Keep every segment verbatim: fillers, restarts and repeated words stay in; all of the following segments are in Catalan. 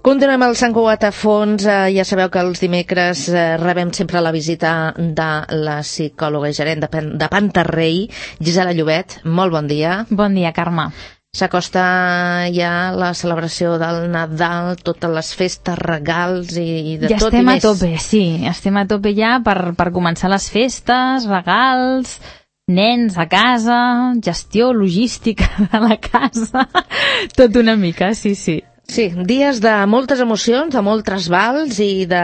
Continuem al Sant Cugat a fons. Eh, ja sabeu que els dimecres eh, rebem sempre la visita de la psicòloga i gerent de, Pen de Pantarrei, Gisela Llobet. Molt bon dia. Bon dia, Carme. S'acosta ja la celebració del Nadal, totes les festes, regals i, i de ja tot i més. Ja estem a tope, sí. Estem a tope ja per, per començar les festes, regals, nens a casa, gestió logística de la casa, tot una mica, sí, sí. Sí, dies de moltes emocions, de molts trasbals i de...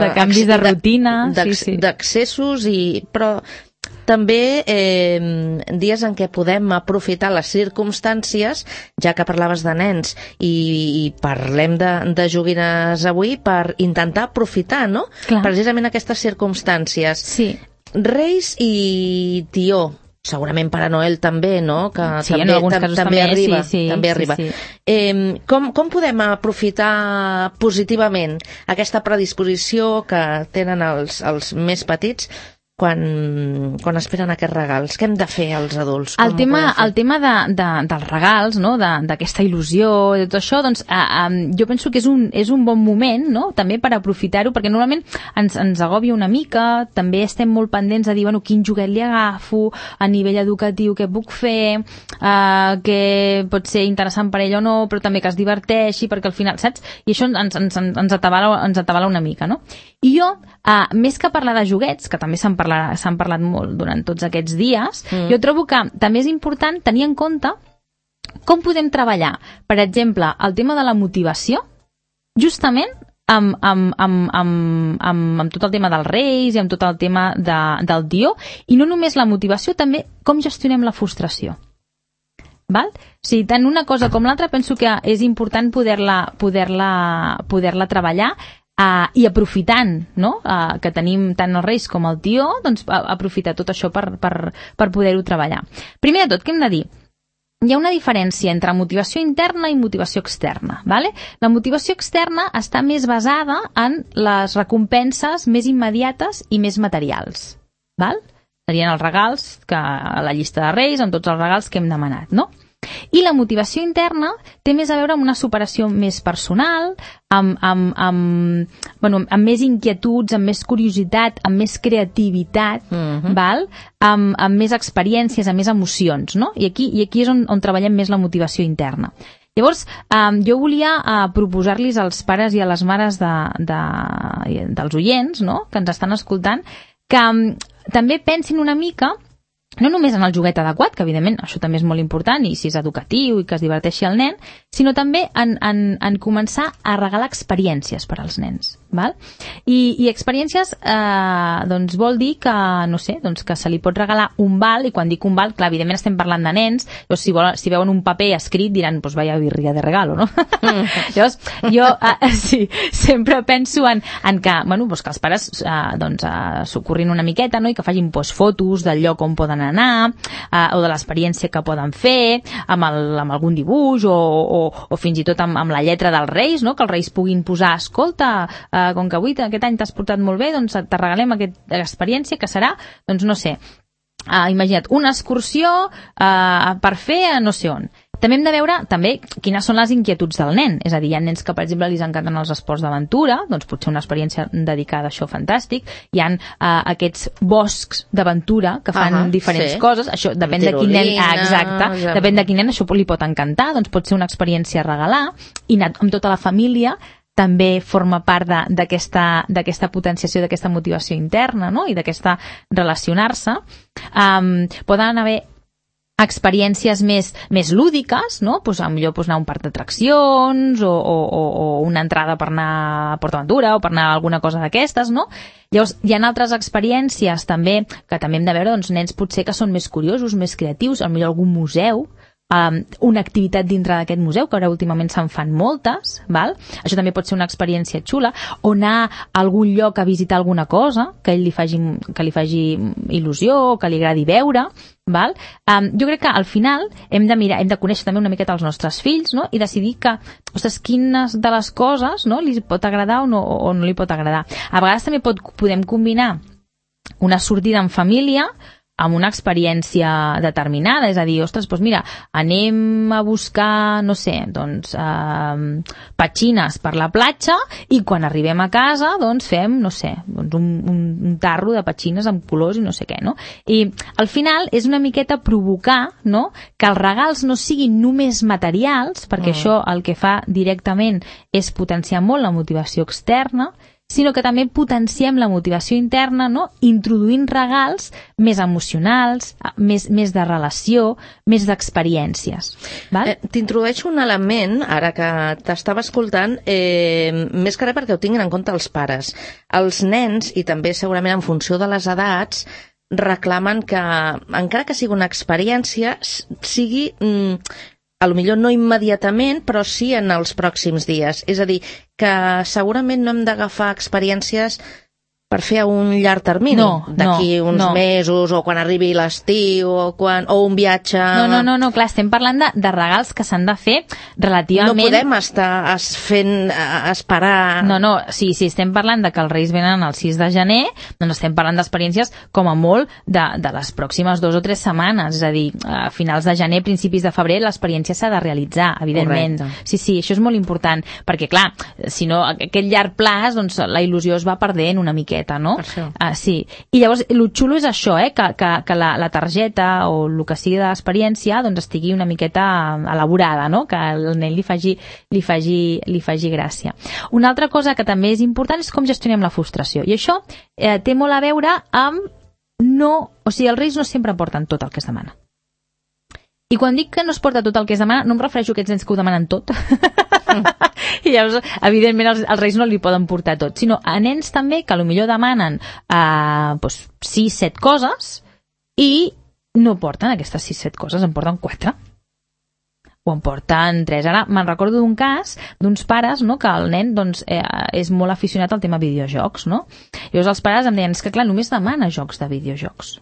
De canvis de rutina, de, sí, sí. D'accessos, i però també eh, dies en què podem aprofitar les circumstàncies, ja que parlaves de nens, i, i parlem de, de joguines avui, per intentar aprofitar, no? Clar. Precisament aquestes circumstàncies. Sí. Reis i Tió. Segurament Pare Noel també, no? Que sí, també, en alguns casos també, també arriba, sí, sí, també arriba. Sí, sí. Eh, com, com podem aprofitar positivament aquesta predisposició que tenen els, els més petits quan, quan esperen aquests regals? Què hem de fer els adults? El tema, el tema de, de, dels regals, no? d'aquesta il·lusió, de tot això, doncs, eh, eh, jo penso que és un, és un bon moment, no? També per aprofitar-ho, perquè normalment ens, ens agòbia una mica, també estem molt pendents de dir, bueno, quin joguet li agafo, a nivell educatiu què puc fer, eh, que pot ser interessant per ell o no, però també que es diverteixi, perquè al final, saps? I això ens, ens, ens, atabala, ens atabala una mica, no? I jo, eh, més que parlar de joguets, que també se'n s'han parlat molt durant tots aquests dies, mm. jo trobo que també és important tenir en compte com podem treballar, per exemple, el tema de la motivació, justament amb, amb, amb, amb, amb, amb tot el tema dels reis i amb tot el tema de, del Tió, i no només la motivació, també com gestionem la frustració. Val? O sigui, tant una cosa com l'altra penso que és important poder-la poder-la poder-la treballar. Uh, i aprofitant, no? uh, que tenim tant els reis com el Tió, doncs aprofitar tot això per, per, per poder-ho treballar. Primer de tot, què hem de dir? Hi ha una diferència entre motivació interna i motivació externa. Vale? La motivació externa està més basada en les recompenses més immediates i més materials. Val? Serien els regals, que a la llista de reis, amb tots els regals que hem demanat, no? I la motivació interna té més a veure amb una superació més personal, amb, amb, amb, bueno, amb més inquietuds, amb més curiositat, amb més creativitat, uh-huh. val? Amb, amb més experiències, amb més emocions, no? I aquí, i aquí és on, on treballem més la motivació interna. Llavors, eh, jo volia eh, proposar-los als pares i a les mares de, de, dels oients, no?, que ens estan escoltant, que eh, també pensin una mica no només en el joguet adequat, que evidentment això també és molt important, i si és educatiu i que es diverteixi el nen, sinó també en, en, en començar a regalar experiències per als nens. Val? I, i experiències eh, doncs vol dir que, no sé, doncs que se li pot regalar un val, i quan dic un val, clar, evidentment estem parlant de nens, doncs si, vol, si veuen un paper escrit diran, pues vaya birria de regalo, no? Mm. Llavors, jo eh, sí, sempre penso en, en que, bueno, doncs que els pares eh, doncs, eh, s'ocorrin una miqueta, no?, i que facin pues, fotos del lloc on poden anar, eh, o de l'experiència que poden fer, amb, el, amb algun dibuix, o, o, o fins i tot amb, amb la lletra dels reis, no?, que els reis puguin posar, escolta, eh, com que avui aquest any t'has portat molt bé, doncs te regalem aquesta experiència que serà, doncs no sé, uh, imagina't, una excursió uh, per fer a no sé on. També hem de veure també quines són les inquietuds del nen, és a dir, hi ha nens que, per exemple, li encanten els esports d'aventura, doncs potser una experiència dedicada a això fantàstic, hi ha uh, aquests boscs d'aventura que fan uh-huh, diferents sí. coses, això depèn de quin nen, ah, exacte, ja. depèn de quin nen això li pot encantar, doncs pot ser una experiència a regalar, i anar amb tota la família també forma part d'aquesta d'aquesta potenciació, d'aquesta motivació interna, no?, i d'aquesta relacionar-se. Um, poden haver experiències més, més lúdiques, no? Pues, millor pues, anar a un parc d'atraccions o, o, o una entrada per anar a PortAventura o per anar a alguna cosa d'aquestes, no? Llavors, hi ha altres experiències també que també hem de veure, doncs, nens potser que són més curiosos, més creatius, potser algun museu, Um, una activitat dintre d'aquest museu, que ara últimament se'n fan moltes, val? Això també pot ser una experiència xula, o anar a algun lloc a visitar alguna cosa que ell li faci, que li faci il·lusió, que li agradi veure, val? Um, jo crec que al final hem de mirar, hem de conèixer també una miqueta els nostres fills, no?, i decidir que, ostres, quines de les coses, no?, li pot agradar o no, o no li pot agradar. A vegades també pot, podem combinar una sortida en família amb una experiència determinada, és a dir, ostres, doncs mira, anem a buscar, no sé, doncs, eh, petxines per la platja i quan arribem a casa, doncs fem, no sé, doncs un, un, un tarro de petxines amb colors i no sé què, no? I al final és una miqueta provocar, no?, que els regals no siguin només materials, perquè mm. això el que fa directament és potenciar molt la motivació externa, sinó que també potenciem la motivació interna, no?, introduint regals més emocionals, més, més de relació, més d'experiències. Eh, T'introdueixo un element, ara que t'estava escoltant, eh, més que res perquè ho tinguin en compte els pares. Els nens, i també segurament en funció de les edats, reclamen que, encara que sigui una experiència, sigui... Mm, a lo millor no immediatament, però sí en els pròxims dies. És a dir, que segurament no hem d'agafar experiències per fer a un llarg termini, no, d'aquí no, uns no. mesos, o quan arribi l'estiu, o, quan, o un viatge... No, no, no, no, clar, estem parlant de, de regals que s'han de fer relativament... No podem estar es fent, esperar... No, no, sí, sí, estem parlant de que els Reis venen el sis de gener, doncs estem parlant d'experiències com a molt de, de les pròximes dues o tres setmanes, és a dir, a finals de gener, principis de febrer, l'experiència s'ha de realitzar, evidentment. Correcte. Sí, sí, això és molt important, perquè clar, si no, aquest llarg plaç, doncs la il·lusió es va perdent una miqueta, no? Uh, sí. I llavors, el xulo és això, eh? que, que, que la, la targeta o el que sigui de l'experiència doncs estigui una miqueta elaborada, no? Que el nen li faci, li faci, li faci gràcia. Una altra cosa que també és important és com gestionem la frustració. I això eh, té molt a veure amb no... O sigui, els Reis no sempre porten tot el que es demana. I quan dic que no es porta tot el que es demana, no em refereixo a aquests nens que ho demanen tot. Mm. I llavors, evidentment, els, els Reis no li poden portar tot, sinó a nens també que potser demanen eh, doncs, sis, set coses i no porten aquestes sis, set coses, en porten quatre. O en porten tres. Ara me'n recordo d'un cas d'uns pares, no?, que el nen doncs, eh, és molt aficionat al tema videojocs, no? Llavors els pares em deien, és que clar, només demana jocs de videojocs.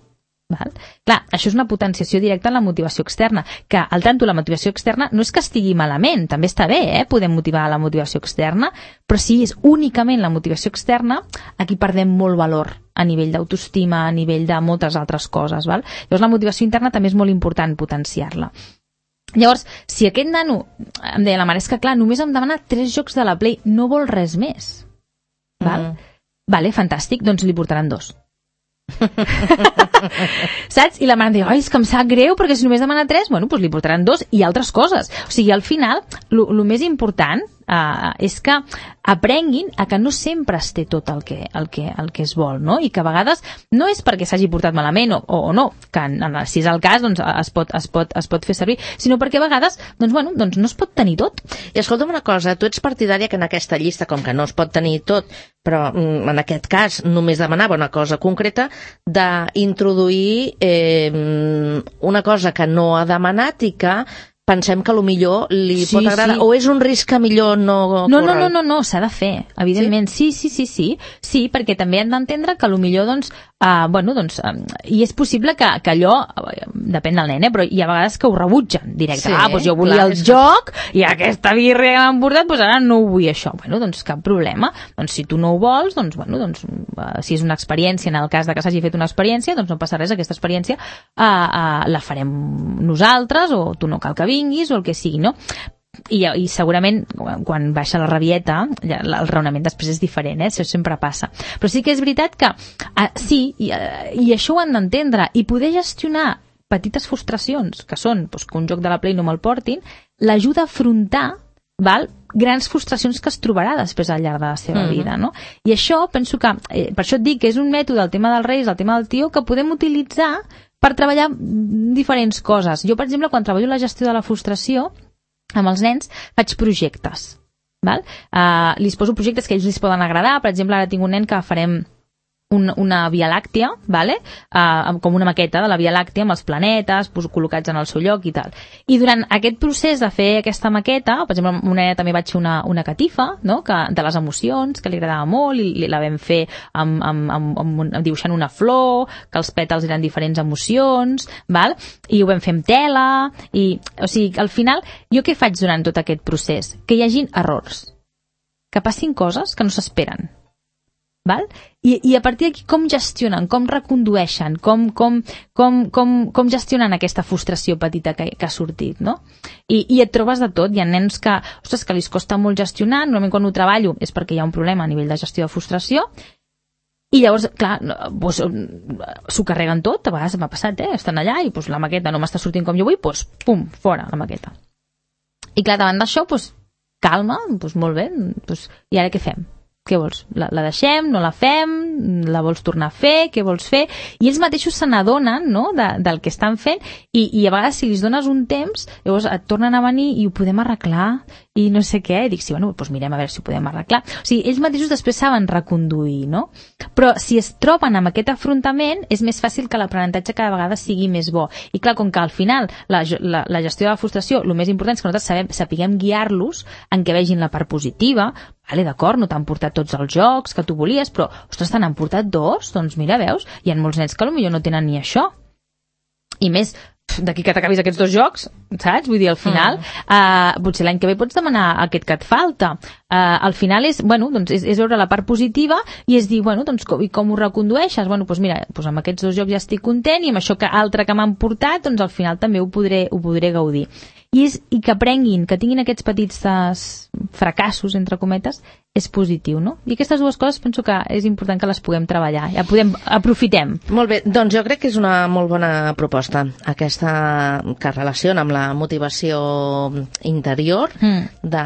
Val? Clar, això és una potenciació directa en la motivació externa, que al tanto la motivació externa no és que estigui malament, també està bé, eh? Podem motivar la motivació externa, però si és únicament la motivació externa, aquí perdem molt valor a nivell d'autoestima, a nivell de moltes altres coses. Val? Llavors la motivació interna també és molt important potenciar-la. Llavors, si aquest nano, em deia la mare, és que clar, només em demana tres jocs de la Play, no vol res més. Val? Mm. Vale, fantàstic, doncs li portaran dos. Saps? I la mare em diu, ai, és que em sap greu perquè si només demana tres, bueno, doncs li portaran dos i altres coses. O sigui, al final, el més important uh, és que aprenguin a que no sempre es té tot el que, el que, el que es vol, no? I que a vegades no és perquè s'hagi portat malament o, o no, que en, en, si és el cas doncs es pot, es, pot, es pot fer servir, sinó perquè a vegades doncs, bueno, doncs no es pot tenir tot. I escolta'm una cosa, tu ets partidària que en aquesta llista, com que no es pot tenir tot, però en aquest cas només demanava una cosa concreta, d'introduir eh, una cosa que no ha demanat i que pensem que millor li sí, pot agradar, sí. O és un risc que millor no... No, no, no, no, no s'ha de fer, evidentment. Sí, sí, sí, sí, sí, sí perquè també hem d'entendre que millor, doncs, uh, bueno, doncs, um, i és possible que, que allò, uh, depèn del nen, eh, però hi ha vegades que ho rebutgen directe. Sí, ah, doncs jo volia clar, el joc que... i aquesta birria que m'han portat, doncs ara no ho vull això. Bueno, doncs cap problema. Doncs si tu no ho vols, doncs, bueno, doncs, uh, si és una experiència, en el cas de que s'hagi fet una experiència, doncs no passa res, aquesta experiència uh, uh, la farem nosaltres, o tu no cal que vinguis o el que sigui, no? I, i segurament quan baixa la rabieta el raonament després és diferent, eh? Això sempre passa, però sí que és veritat que uh, sí, i, uh, i això ho han d'entendre i poder gestionar petites frustracions que són doncs, que un joc de la Play no me'l portin, l'ajuda a afrontar, val, grans frustracions que es trobarà després al llarg de la seva mm-hmm. vida, no? I això penso que, eh, per això et dic que és un mètode, el tema dels Reis, el tema del tió, que podem utilitzar per treballar diferents coses. Jo, per exemple, quan treballo la gestió de la frustració, amb els nens faig projectes. Val? Uh, li poso projectes que a ells li poden agradar. Per exemple, ara tinc un nen que farem un, una Via Làctea, vale? uh, com una maqueta de la Via Làctea amb els planetes pues, col·locats en el seu lloc i tal. I durant aquest procés de fer aquesta maqueta, per exemple, una nena també vaig fer una, una catifa, no? Que, de les emocions, que li agradava molt, i la vam fer amb, amb, amb, amb, amb, dibuixant una flor, que els pètals eren diferents emocions, val? I ho vam fer amb tela, i, o sigui, al final, jo què faig durant tot aquest procés? Que hi hagin errors, que passin coses que no s'esperen. val? I, i a partir d'aquí com gestionen, com recondueixen, com, com, com, com, com gestionen aquesta frustració petita que, que ha sortit, no? I, I et trobes de tot. Hi ha nens que, ostres, que li costa molt gestionar, normalment quan ho treballo és perquè hi ha un problema a nivell de gestió de frustració, i llavors, clar, doncs, s'ho carreguen tot, a vegades m'ha passat, eh? Estan allà i doncs, la maqueta no m'està sortint com jo vull, doncs, pum, fora la maqueta. I clar, davant d'això, doncs, calma, doncs molt bé, doncs, i ara què fem? Què vols? La, la deixem? No la fem? La vols tornar a fer? Què vols fer? I ells mateixos se n'adonen, no?, de, del que estan fent i, i a vegades si els dones un temps, llavors et tornen a venir i ho podem arreglar i no sé què. I dic, sí, bueno, doncs mirem a veure si ho podem arreglar. O sigui, ells mateixos després saben reconduir, no? Però si es troben amb aquest afrontament és més fàcil que l'aprenentatge cada vegada sigui més bo. I clar, com que al final la, la, la gestió de la frustració, el més important és que nosaltres sabem, sapiguem guiar-los en què vegin la part positiva. Vale, d'acord, no t'han portat tots els jocs que tu volies, però, ostres, te n'han portat dos? Doncs mira, veus, hi ha molts nens que potser no tenen ni això. I més, d'aquí que t'acabis aquests dos jocs, saps? Vull dir, al final, mm. uh, potser l'any que ve pots demanar aquest que et falta. Uh, al final és, bueno, doncs és, és veure la part positiva i és dir, bueno, doncs com, i com ho recondueixes? Bueno, doncs mira, doncs amb aquests dos jocs ja estic content i amb això que altre que m'han portat, doncs al final també ho podré, ho podré gaudir. I, és, i que aprenguin, que tinguin aquests petits fracassos, entre cometes, és positiu, no? I aquestes dues coses penso que és important que les puguem treballar, ja podem, aprofitem. Molt bé, doncs jo crec que és una molt bona proposta, aquesta que relaciona amb la motivació interior mm. de,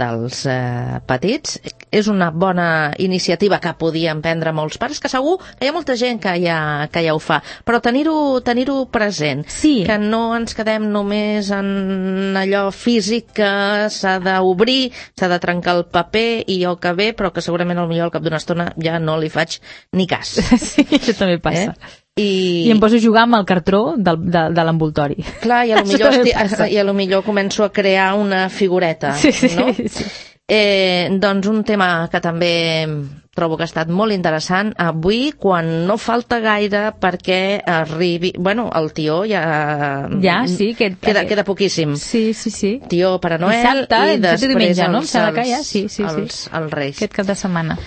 dels eh, petits. És una bona iniciativa que podien prendre molts pares, que segur que hi ha molta gent que ja, que ja ho fa, però tenir-ho tenir-ho present, sí. Que no ens quedem només en allò físic que s'ha d'obrir, s'ha de trencar el paper i jo que ve, però que segurament al millor al cap d'una estona ja no li faig ni cas. Sí, això també passa. Eh? I... I em poso a jugar amb el cartró del, de, de l'envoltori. Clar, i a lo millor, esti... i a lo millor començo a crear una figureta, sí, sí, no? Sí. Eh, doncs un tema que també trobo que ha estat molt interessant avui, quan no falta gaire perquè arribi... Bueno, el tió ja... Ja, sí. Que... Queda, queda poquíssim. Sí, sí, sí. Tió per a Noel Dissabte, i després diumenge, els, no? Els, ja. Sí, sí, els, sí. els Reis. Aquest cap de setmana.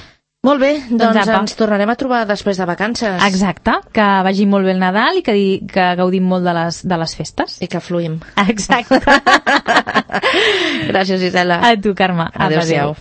Molt bé, doncs, doncs ens tornarem a trobar després de vacances. Exacte, que vagi molt bé el Nadal i que, que gaudim molt de les, de les festes. I que fluïm. Exacte. Gràcies, Gisela. A tu, Carme. Adéu-siau.